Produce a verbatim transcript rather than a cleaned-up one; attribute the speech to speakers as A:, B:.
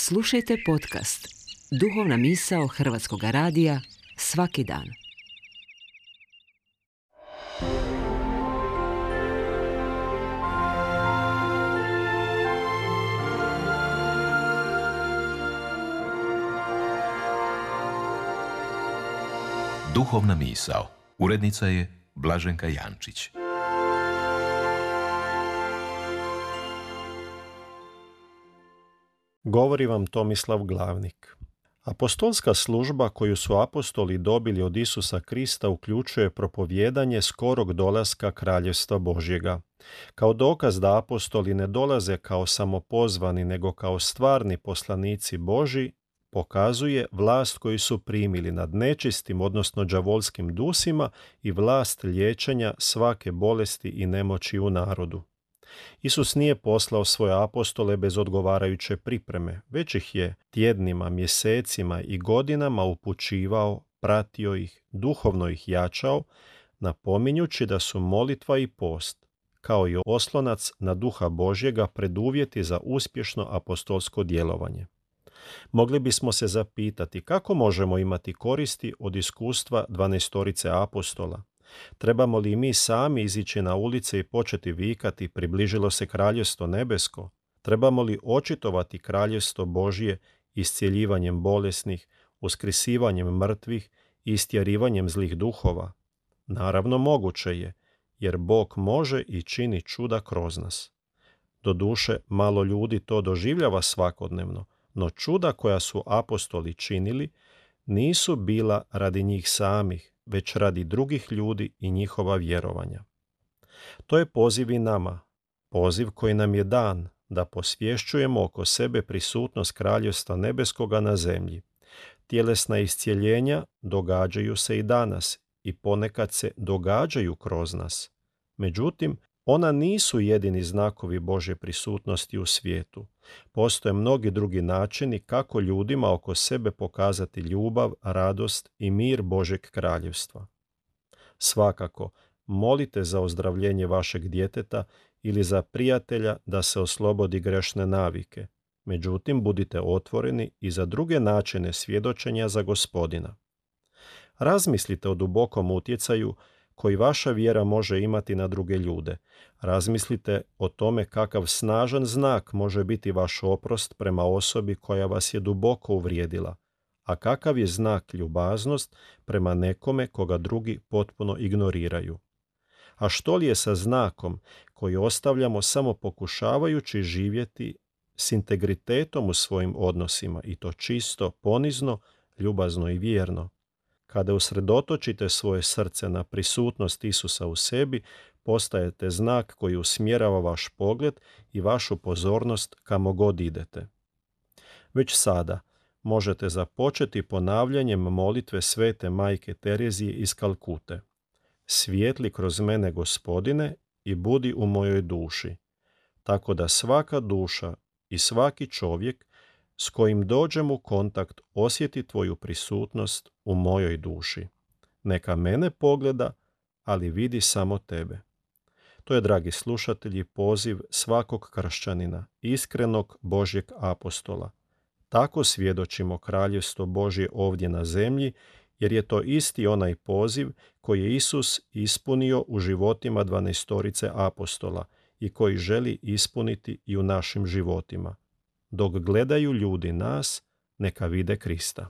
A: Slušajte podcast Duhovna misao Hrvatskog radija svaki dan.
B: Duhovna misao. Urednica je Blaženka Jančić.
C: Govori vam Tomislav Glavnik. Apostolska služba koju su apostoli dobili od Isusa Krista uključuje propovijedanje skorog dolaska Kraljevstva Božjega. Kao dokaz da apostoli ne dolaze kao samopozvani, nego kao stvarni poslanici Božji, pokazuje vlast koju su primili nad nečistim, odnosno đavolskim dusima i vlast liječenja svake bolesti i nemoći u narodu. Isus nije poslao svoje apostole bez odgovarajuće pripreme, već ih je tjednima, mjesecima i godinama upućivao, pratio ih, duhovno ih jačao, napominjući da su molitva i post, kao i oslonac na Duha Božjega, preduvjeti za uspješno apostolsko djelovanje. Mogli bismo se zapitati kako možemo imati koristi od iskustva dvanaestorice apostola. Trebamo li mi sami izići na ulice i početi vikati približilo se kraljevstvo nebesko? Trebamo li očitovati kraljevstvo Božje iscjeljivanjem bolesnih, uskrisivanjem mrtvih i istjerivanjem zlih duhova? Naravno moguće je, jer Bog može i čini čuda kroz nas. Doduše, malo ljudi to doživljava svakodnevno, no čuda koja su apostoli činili nisu bila radi njih samih, već radi drugih ljudi i njihova vjerovanja. To je poziv i nama, poziv koji nam je dan da posvješćujemo oko sebe prisutnost Kraljevstva nebeskoga na zemlji. Tjelesna iscjeljenja događaju se i danas i ponekad se događaju kroz nas. Međutim, ona nisu jedini znakovi Božje prisutnosti u svijetu. Postoje mnogi drugi načini kako ljudima oko sebe pokazati ljubav, radost i mir Božjeg kraljevstva. Svakako, molite za ozdravljenje vašeg djeteta ili za prijatelja da se oslobodi grešne navike. Međutim, budite otvoreni i za druge načine svjedočenja za Gospodina. Razmislite o dubokom utjecaju koji vaša vjera može imati na druge ljude. Razmislite o tome kakav snažan znak može biti vaš oprost prema osobi koja vas je duboko uvrijedila, a kakav je znak ljubaznost prema nekome koga drugi potpuno ignoriraju. A što li je sa znakom koji ostavljamo samo pokušavajući živjeti s integritetom u svojim odnosima, i to čisto, ponizno, ljubazno i vjerno? Kada usredotočite svoje srce na prisutnost Isusa u sebi, postajete znak koji usmjerava vaš pogled i vašu pozornost kamo god idete. Već sada možete započeti ponavljanjem molitve Svete Majke Terezije iz Kalkute. Svijetli kroz mene, Gospodine, i budi u mojoj duši, tako da svaka duša i svaki čovjek s kojim dođem u kontakt osjeti tvoju prisutnost u mojoj duši. Neka mene pogleda, ali vidi samo tebe. To je, dragi slušatelji, poziv svakog kršćanina, iskrenog Božjeg apostola. Tako svjedočimo Kraljevstvo Božje ovdje na zemlji, jer je to isti onaj poziv koji je Isus ispunio u životima dvanaestorice apostola i koji želi ispuniti i u našim životima. Dok gledaju ljudi nas, neka vide Krista.